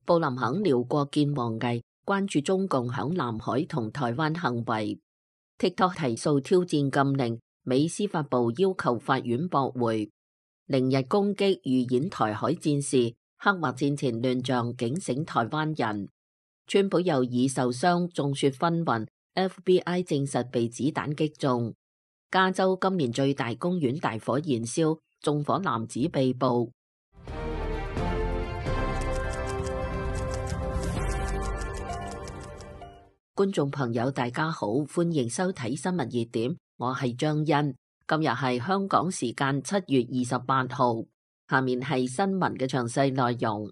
布林肯撩國見王毅，關注中共響南海同台灣行為。TikTok 提訴挑戰禁令，美司法部要求法院駁回。凌日攻擊預演台海戰事，刻畫戰前亂象，警醒台灣人。川普又已受傷，眾說紛紜。FBI 證實被子彈擊中。加州今年最大公園大火燃燒，縱火男子被捕。觀眾朋友大家好，歡迎收睇新聞熱點，我係張欣。今日係香港時間7月28號，下面係新聞嘅詳細內容。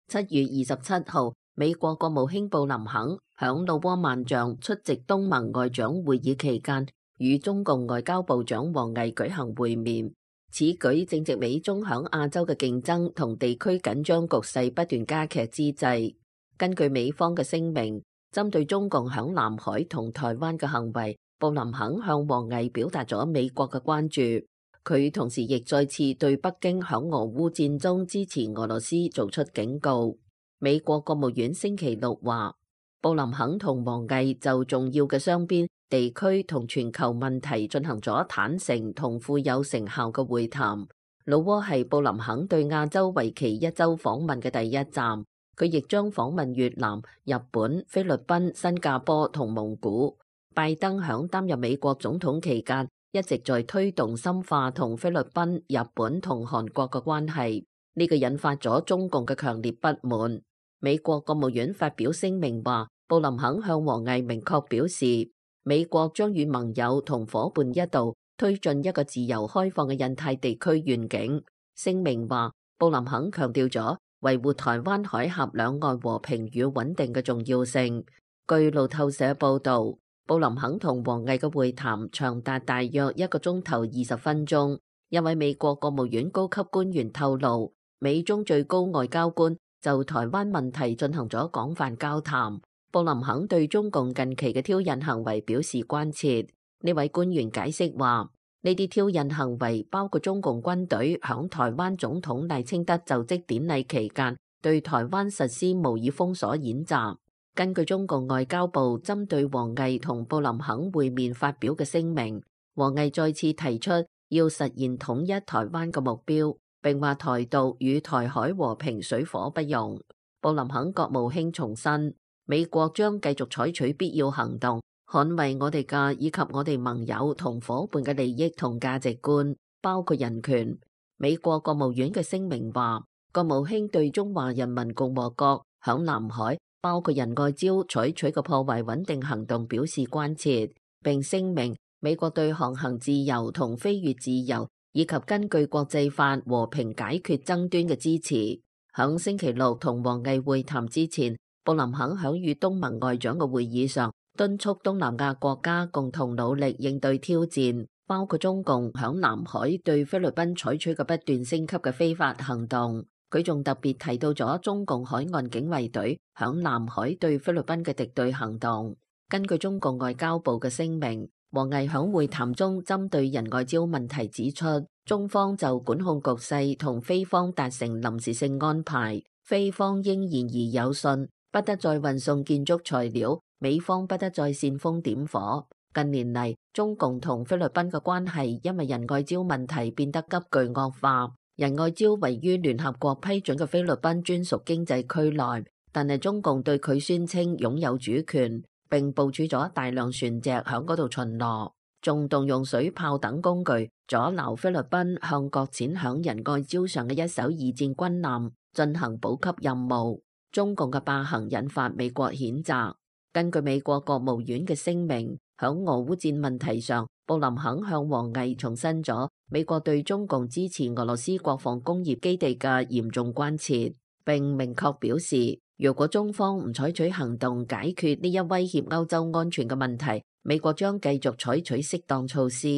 7月27號，美國國務卿布林肯響老撾萬象出席東盟外長會議期間，與中共外交部長王毅舉行會面。此舉正值美中響亞洲嘅競爭同地區緊張局勢不斷加劇之際。根據美方嘅聲明，針對中共響南海同台灣嘅行為，布林肯向王毅表達咗美國嘅關注。佢同時亦再次對北京響俄烏戰中支持俄羅斯做出警告。美國國務院星期六話，布林肯同王毅就重要嘅雙邊、地區同全球問題進行咗坦誠同富有成效嘅會談。老撾係布林肯對亞洲為期1週訪問嘅第一站。佢亦將訪問越南、日本、菲律賓、新加坡同蒙古。拜登響擔任美國總統期間，一直在推動深化同菲律賓、日本同韓國嘅關係，呢個引發咗中共嘅強烈不滿。美國國務院發表聲明話，布林肯向王毅明確表示，美國將與盟友同夥伴一道推進一個自由開放嘅印太地區願景。聲明話，布林肯強調咗維護台灣海峽兩岸和平與穩定嘅重要性。據路透社報道，布林肯同王毅嘅會談長達大約1個鐘頭20分鐘。一位美國國務院高級官員透露，美中最高外交官就台灣問題進行咗廣泛交談。布林肯對中共近期嘅挑釁行為表示關切。呢位官員解釋話，呢啲挑釁行為包括中共軍隊響台灣總統賴清德就職典禮期間對台灣實施模擬封鎖演習。根據中共外交部針對王毅同布林肯會面發表嘅聲明，王毅再次提出要實現統一台灣嘅目標，並話台獨與台海和平水火不容。布林肯國務卿重申，美國將繼續採取必要行動，捍衛我哋嘅以及我哋盟友同夥伴嘅利益同價值觀，包括人權。美國國務院嘅聲明話，國務卿對中華人民共和國響南海包括仁愛礁採取嘅破壞穩定行動表示關切，並聲明美國對航行自由同飛越自由以及根據國際法和平解決爭端嘅支持。響星期六同王毅會談之前，布林肯響與東盟外長嘅會議上敦促東南亞國家共同努力應對挑戰，包括中共響南海對菲律賓採取嘅不斷升級嘅非法行動。佢仲特別提到咗中共海岸警衛隊響南海對菲律賓嘅敵對行動。根據中共外交部嘅聲明，王毅響會談中針對仁愛礁問題指出，中方就管控局勢同菲方達成臨時性安排，菲方應言而有信，不得再運送建築材料，美方不得再煽風點火。近年嚟，中共同菲律賓嘅關係因為仁愛礁問題變得急劇惡化。仁愛礁位於聯合國批准嘅菲律賓專屬經濟區內，但係中共對佢宣稱擁有主權，並部署咗大量船隻響嗰度巡邏，仲動用水炮等工具阻撓菲律賓向擱淺響仁愛礁上嘅一艘二戰軍艦進行補給任務。中共嘅霸行引發美國譴責。根據美國國務院嘅聲明，響俄烏戰問題上，布林肯向王毅重申咗美國對中共支持俄羅斯國防工業基地嘅嚴重關切，並明確表示，如果中方唔採取行動解決呢一威脅歐洲安全嘅問題，美國將繼續採取適當措施。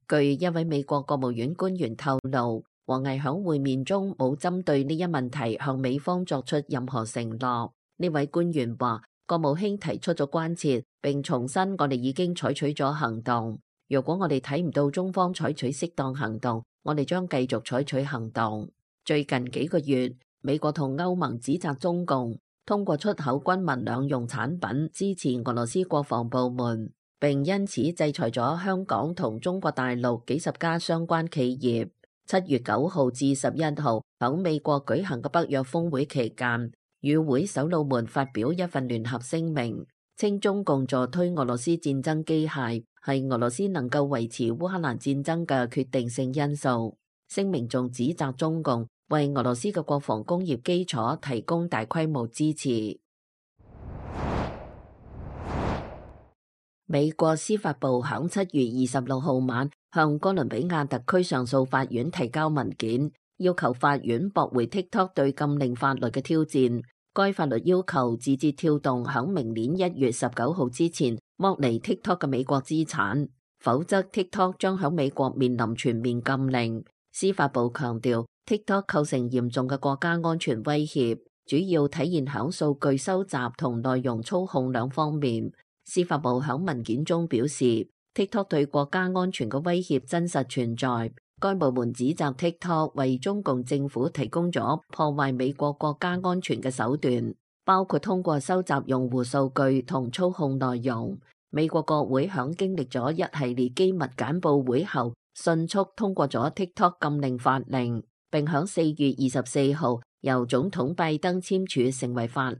據一位美國國務院官員透露，王毅響會面中冇針對呢一問題向美方作出任何承諾。呢位官員話，國務卿提出咗關切，並重申我哋已經採取咗行動。如果我哋睇唔到中方採取適當行動，我哋將繼續採取行動。最近幾個月，美國同歐盟指責中共通過出口軍民兩用產品支持俄羅斯國防部門，並因此制裁咗香港同中國大陸幾十家相關企業。7月9號至11號喺美國舉行嘅北約峰會期間，與會首腦們發表一份聯合聲明，稱中共助推俄羅斯戰爭機械係俄羅斯能夠維持烏克蘭戰爭嘅決定性因素。聲明仲指責中共為俄羅斯嘅國防工業基礎提供大規模支持。美國司法部響7月26號晚向哥倫比亞特區上訴法院提交文件，要求法院駁回 TikTok 對禁令法律嘅挑戰。該法律要求字節跳動響明年1月19號之前剝離 TikTok 嘅美國資產，否則 TikTok 將響美國面臨全面禁令。司法部強調 TikTok 構成嚴重嘅國家安全威脅，主要體現響數據收集同內容操控兩方面。司法部響文件中表示 TikTok 對國家安全嘅威脅真實存在。該部門指責 TikTok 為中共政府提供咗破壞美國國家安全嘅手段，包括通過收集用戶數據同操控內容。美國國會響經歷咗一系列機密簡報會後，迅速通過咗 TikTok 禁令法令，並響4月24號由總統拜登簽署成為法律。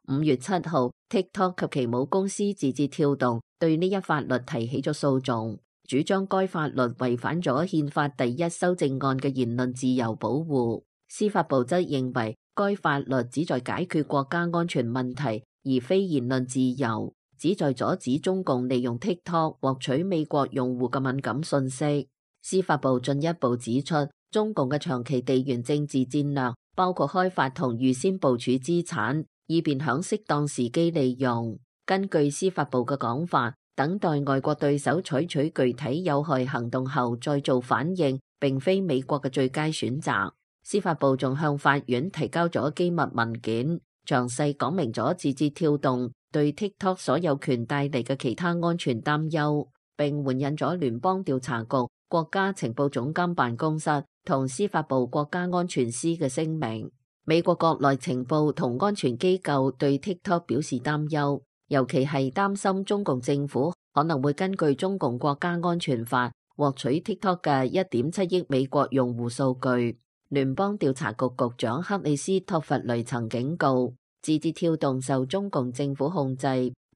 5月7號 TikTok 及其母公司字節跳動對呢一法律提起咗訴訟，主張該法律違反咗憲法第1修正案嘅言論自由保護。司法部則認為該法律旨在解決國家安全問題，而非言論自由，旨在阻止中共利用 TikTok 獲取美國用戶嘅敏感信息。司法部進一步指出，中共嘅長期地緣政治戰略包括開發同預先部署資產，以便響適當時機利用。根據司法部嘅講法，等待外國對手採取具體有害行動後再做反應，並非美國嘅最佳選擇。司法部仲向法院提交咗機密文件，詳細講明咗字節跳動對 TikTok 所有權帶嚟嘅其他安全擔憂，並援引咗聯邦調查局、國家情報總監辦公室同司法部國家安全司嘅聲明。美國國內情報同安全機構對 TikTok 表示擔憂，尤其係擔心中共政府可能會根據中共國家安全法獲取 TikTok 嘅1.7億美國用戶數據。聯邦調查局局長克里斯托弗雷曾警告，字節跳動受中共政府控制，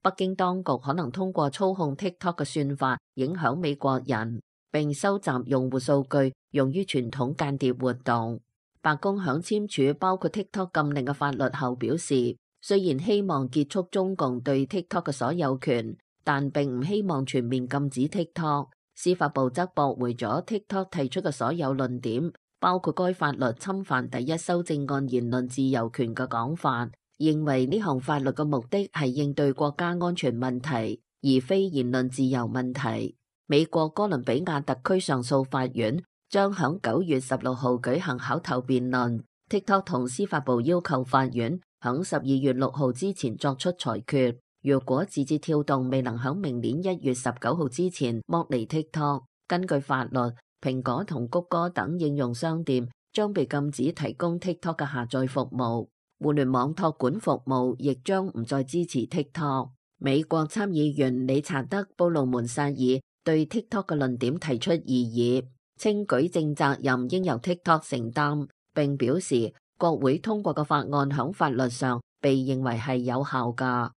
北京當局可能通過操控 TikTok 嘅算法影響美國人，並收集用戶數據用於傳統間諜活動。白宮響簽署包括 TikTok 禁令嘅法律後表示，雖然希望結束中共對 TikTok 嘅所有權，但並唔希望全面禁止 TikTok。司法部則駁回咗 TikTok 提出嘅所有論點，包括該法律侵犯第1修正案言論自由權嘅講法，認為呢項法律嘅目的係應對國家安全問題，而非言論自由問題。美國哥倫比亞特區上訴法院將響9月16號舉行口頭辯論。TikTok 同司法部要求法院響12月6號之前作出裁決。若果字節跳動未能響明年1月19號之前剝離 TikTok， 根據法律，蘋果同谷歌等應用商店將被禁止提供 TikTok 嘅下載服務。互聯網託管服務亦將唔再支持 TikTok。美國參議員理查德·布魯門薩爾對 TikTok 嘅論點提出異議，稱舉證責任應由 TikTok 承擔，並表示國會通過嘅法案響法律上被認為係有效㗎。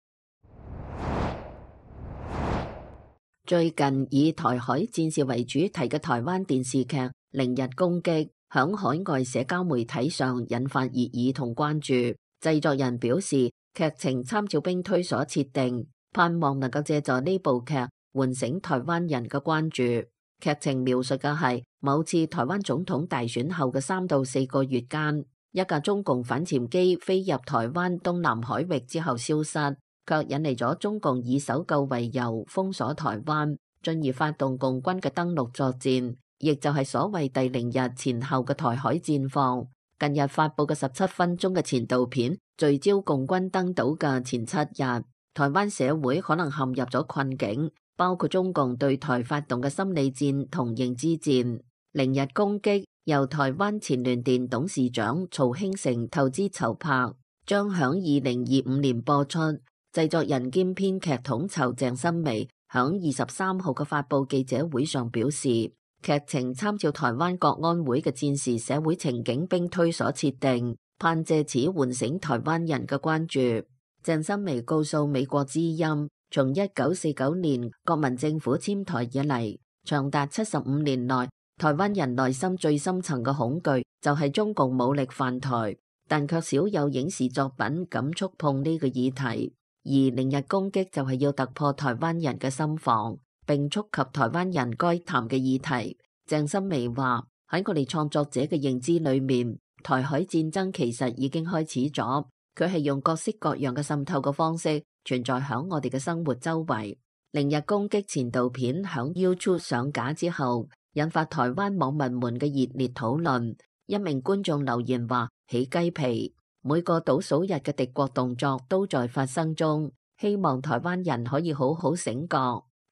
最近以台海戰事為主題嘅台灣電視劇《零日攻擊》響海外社交媒體上引發熱議同關注。製作人表示，劇情參照兵推所設定，盼望能夠借助呢部劇喚醒台灣人嘅關注。劇情描述嘅係某次台灣總統大選後嘅3到4個月間，一架中共反潛機飛入台灣東南海域之後消失，卻引嚟咗中共以搜救為由封鎖台灣，進而發動共軍嘅登陸作戰，亦就係所謂第0日前後嘅台海戰況。近日發佈嘅17分鐘嘅前導片，聚焦共軍登島嘅前7日，台灣社會可能陷入咗困境，包括中共對台發動嘅心理戰同認知戰。0日攻擊由台灣前聯電董事長曹興誠投資籌拍，將響2025年播出。製作人兼編劇統籌鄭新薇響23號嘅發佈記者會上表示，劇情參照台灣國安會嘅戰時社會情景兵推所設定，盼借此喚醒台灣人嘅關注。鄭新薇告訴美國之音，從1949年國民政府遷台以嚟，長達75年內，台灣人內心最深層嘅恐懼就係中共武力犯台，但卻少有影視作品敢觸碰呢個議題。而連日攻擊就係要突破台灣人嘅心防，並觸及台灣人該談嘅議題。鄭新薇話，喺我哋創作者嘅認知裏面，台海戰爭其實已經開始咗，佢係用各式各樣嘅滲透嘅方式存在響我哋嘅生活周圍。連日攻擊前導片響 YouTube 上架之後，引發台灣網民們嘅熱烈討論。一名觀眾留言話，起雞皮，每個倒數日嘅敵國動作都在發生中，希望台灣人可以好好醒覺。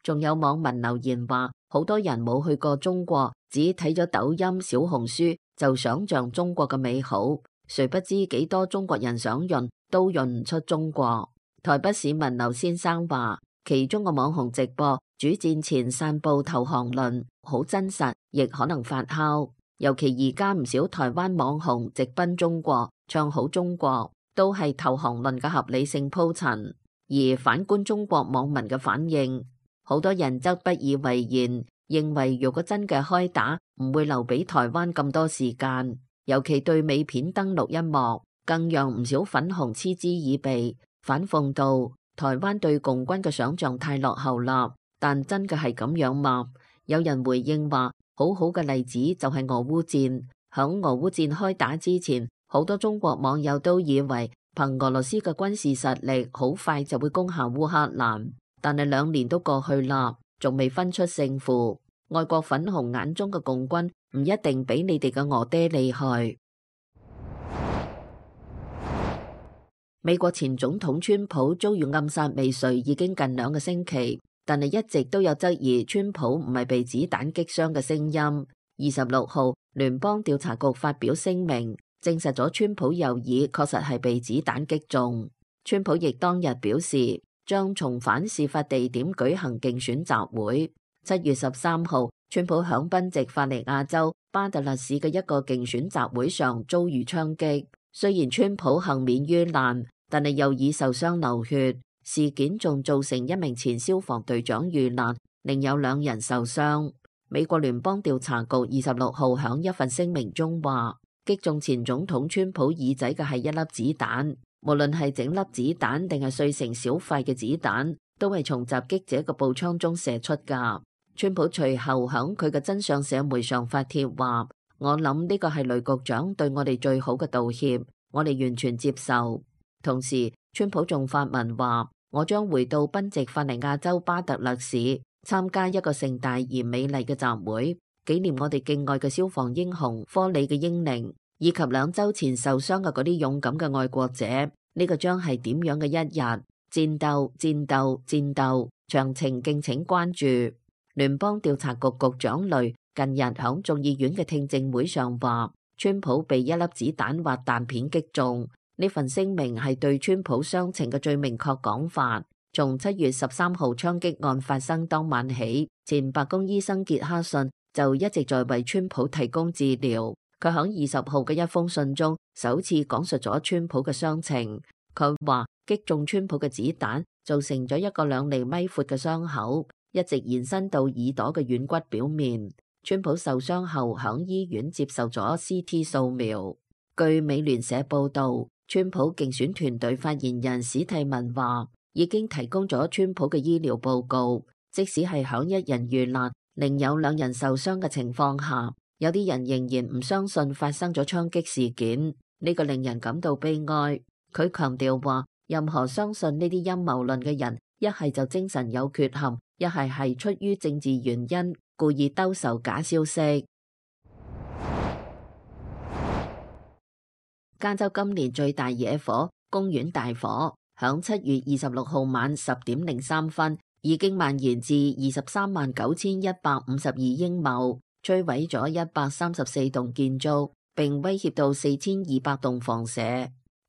仲有網民留言話，好多人冇去過中國，只睇咗抖音、小紅書就想象中國嘅美好，誰不知幾多中國人想潤都潤唔出中國。台北市民劉先生話，其中嘅網紅直播主戰前散布投降論，好真實，亦可能發酵。尤其而家唔少台灣網紅直奔中國，唱好中國，都係投降論嘅合理性鋪陳。而反觀中國網民嘅反應，好多人則不以為然，認為如果真嘅開打，唔會留俾台灣咁多時間。尤其對美片登陸一幕，更讓唔少粉紅嗤之以鼻，反諷道台灣對共軍嘅想象太落後啦。但真嘅係咁樣嗎？有人回應話，好好嘅例子就係俄烏戰。響俄烏戰開打之前，好多中國網友都以為憑俄羅斯嘅軍事實力，好快就會攻下烏克蘭。但係2年都過去啦，仲未分出勝負。外國粉紅眼中嘅共軍唔一定比你哋嘅俄爹厲害。美國前總統川普遭遇暗殺未遂已經近2個星期，但係一直都有質疑川普唔係被子彈擊傷嘅聲音。26號，聯邦調查局發表聲明，證實咗川普右耳確實係被子彈擊中。川普亦當日表示，將重返事發地點舉行競選集會。7月13號，川普響賓夕法尼亞州巴特勒市嘅一個競選集會上遭遇槍擊。雖然川普幸免於難，但係右耳受傷流血。事件仲造成一名前消防隊長遇難，另有2人受傷。美國聯邦調查局26號響一份聲明中話，擊中前總統川普耳仔嘅係一粒子彈，無論係整粒子彈定係碎成小塊嘅子彈，都係從襲擊者嘅步槍中射出㗎。川普隨後響佢嘅真相社媒上發帖話，我諗呢個係雷局長對我哋最好嘅道歉，我哋完全接受。同時，川普仲發文話，我將回到賓夕法尼亞州巴特勒市參加一個盛大而美麗嘅集會，紀念我哋敬愛嘅消防英雄科里嘅英靈，以及2週前受傷嘅嗰啲勇敢嘅愛國者。呢個將係點樣嘅一日？戰鬥，戰鬥，戰鬥，詳情敬請關注。聯邦調查局局長雷近日響眾議院嘅聽證會上話，川普被一粒子彈或彈片擊中。呢份聲明係對川普傷情嘅最明確講法。從7月13號槍擊案發生當晚起，前白宮醫生傑克遜就一直在為川普提供治療。佢響20號嘅一封信中，首次講述咗川普嘅傷情。佢話擊中川普嘅子彈造成咗一個2厘米闊嘅傷口，一直延伸到耳朵嘅軟骨表面。川普受傷後響醫院接受咗 CT 掃描。據美聯社報道，川普競選團隊發言人史蒂文話，已經提供咗川普嘅醫療報告，即使係響1人遇難，另有2人受傷嘅情況下，有啲人仍然唔相信發生咗槍擊事件，呢個令人感到悲哀。佢強調話，任何相信呢啲陰謀論嘅人，一係就精神有缺陷，一係出於政治原因，故意兜售假消息。加州今年最大野火公園大火，響7月26號晚10點03分已經蔓延至239152英畝，摧毀咗134棟建築，並威脅到4200棟房舍。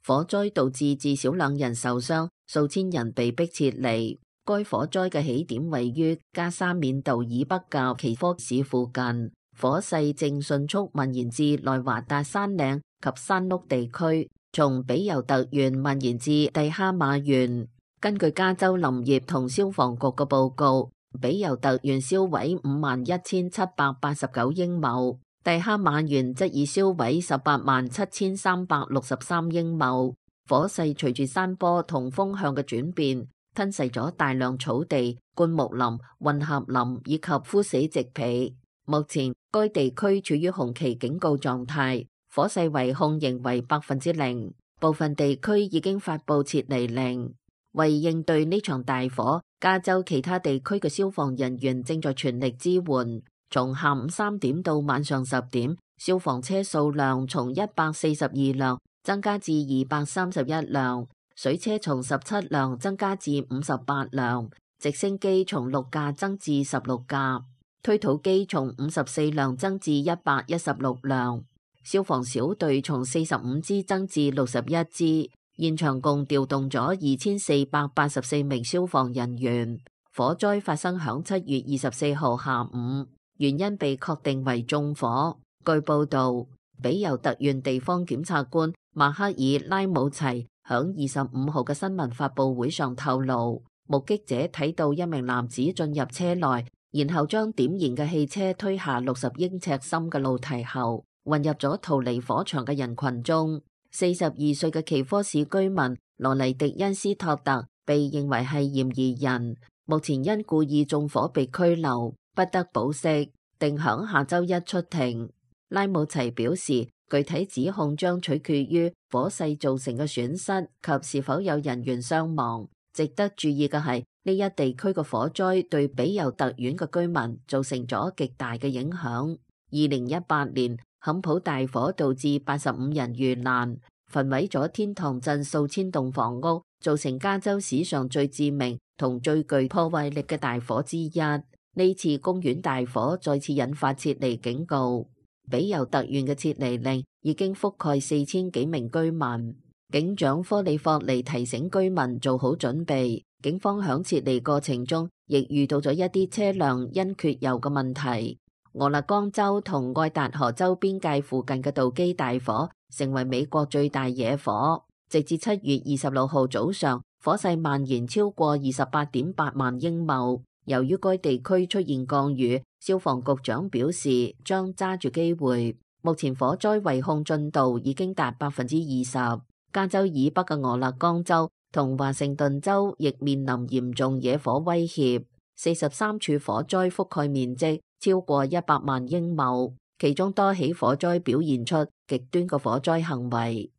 火災導致至少2人受傷，數千人被迫撤離。該火災嘅起點位於加沙緬道以北嘅奇科市附近，火勢正迅速蔓延至內華達山嶺及山麓地區，從比尤特縣蔓延至蒂哈馬縣。根據加州林業同消防局嘅報告，比尤特縣燒毀51789英畝，蒂哈馬縣則已燒毀187,363英畝。火勢隨住山坡同風向嘅轉變，吞噬咗大量草地、灌木林、混合林以及枯死植被。目前該地區處於紅旗警告狀態，火勢危控仍為0%，部分地區已經發布撤離令。為應對呢場大火，加州其他地區嘅消防人員正在全力支援。從下午3點到晚上10點，消防車數量從142輛增加至231輛，水車從17輛增加至58輛，直升機從6架增至16架，推土機從54輛增至116輛，消防小隊從45支增至61支。現場共調動咗2484名消防人員。火災發生響7月24號下午，原因被確定為縱火。據報道，比尤特縣地方檢察官馬克爾拉姆齊響25號嘅新聞發佈會上透露，目擊者睇到一名男子進入車內，然後將點燃嘅汽車推下60英尺深嘅露堤後，混入咗逃離火場嘅人群中。42歲嘅奇科市居民羅尼迪恩斯托特被認為係嫌疑人，目前因故意縱火被拘留，不得保釋，定響下周一出庭。拉姆齊表示，具體指控將取決於火勢造成嘅損失及是否有人員傷亡。值得注意嘅係，呢一地區嘅火災對比尤特縣嘅居民造成咗極大嘅影響。2018年坎普大火導致85人遇難，焚毀咗天堂鎮數千棟房屋，造成加州史上最致命同最具破壞力嘅大火之一。呢次公園大火再次引發撤離警告，比尤特縣嘅撤離令已經覆蓋4000幾名居民。警長科里霍尼提醒居民做好準備，警方響撤離過程中亦遇到咗一啲車輛因缺油嘅問題。俄勒岡州同愛達荷州邊界附近嘅道基大火成為美國最大野火，直至7月26號早上，火勢蔓延超過28.8萬英畝。由於該地區出現降雨，消防局長表示將揸住機會。目前火災圍控進度已經達20%。加州以北嘅俄勒岡州同華盛頓州亦面臨嚴重野火威脅。43處火災覆蓋面積超過100萬英畝，其中多起火災表現出極端嘅火災行為。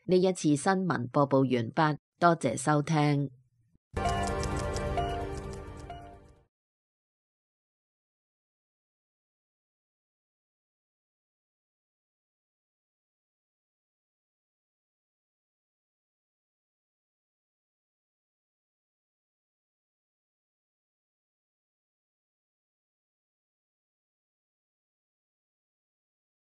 呢一次新聞播報完畢，多謝收聽。